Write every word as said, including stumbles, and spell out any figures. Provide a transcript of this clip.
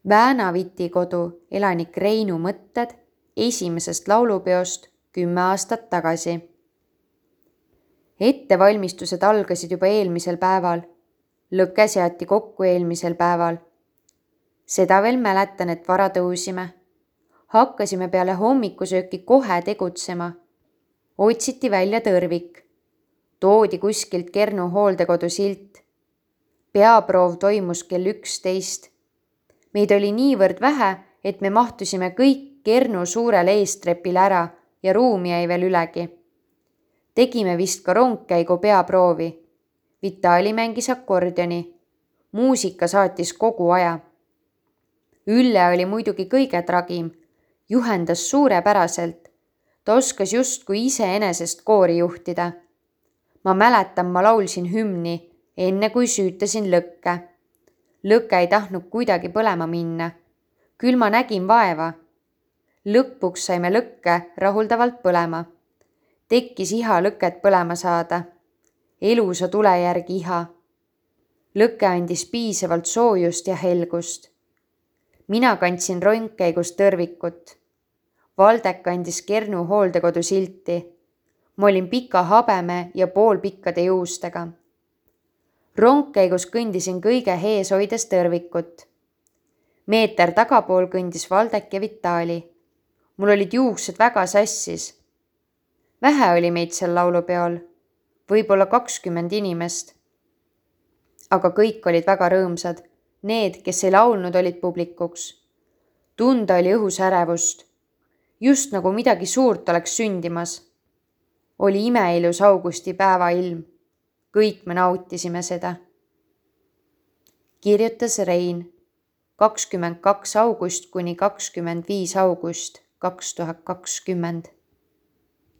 Väänaviti kodu elanik Reinu mõtted esimesest laulupeost kümme aastat tagasi. Ettevalmistused algasid juba eelmisel päeval. Lõke seati kokku eelmisel päeval. Seda veel mäletan, et vara tõusime. Hakkasime peale hommikusööki kohe tegutsema. Otsiti välja tõrvik. Toodi kuskilt Kernu hooldekodu silt. Peaproov toimus kell üksteist. Meid oli niivõrd vähe, et me mahtusime kõik Kernu suurele eestrepile ära ja ruumi jäi veel ülegi. Tegime vist ka rongkäigu peaproovi. Vitali mängis akordioni. Muusika saatis kogu aja. Ülle oli muidugi kõige tragim. Juhendas suurepäraselt. Ta oskas justkui iseenesest koori juhtida. Ma mäletan, ma laulsin hümni, enne kui süütasin lõkke. Lõke ei tahtnud kuidagi põlema minna. Küll ma nägin vaeva. Lõpuks saime lõkke rahuldavalt põlema. Tekkis iha lõket põlema saada. Elusa tule järgi iha. Lõke andis piisavalt soojust ja helgust. Mina kandsin rongkäigus tõrvikut. Valdek andis Kernu hooldekodu silti. Ma olin pika habeme ja poolpikkade juustega. Rongkäigus kõndisin kõige hees hoides tõrvikut. Meeter tagapool kõndis Valdek ja Vitali. Mul olid juuksed väga sassis. Vähe oli meid seal laulupeol. Võib-olla kakskümmend inimest. Aga kõik olid väga rõõmsad. Need, kes ei laulnud, olid publikuks. Tunda oli õhus ärevust. Just nagu midagi suurt oleks sündimas. Oli imeilus augusti päeva ilm. Kõik me nautisime seda. Kirjutas Rein. kakskümmend kaks august kuni kakskümmend viis august kaks tuhat kakskümmend.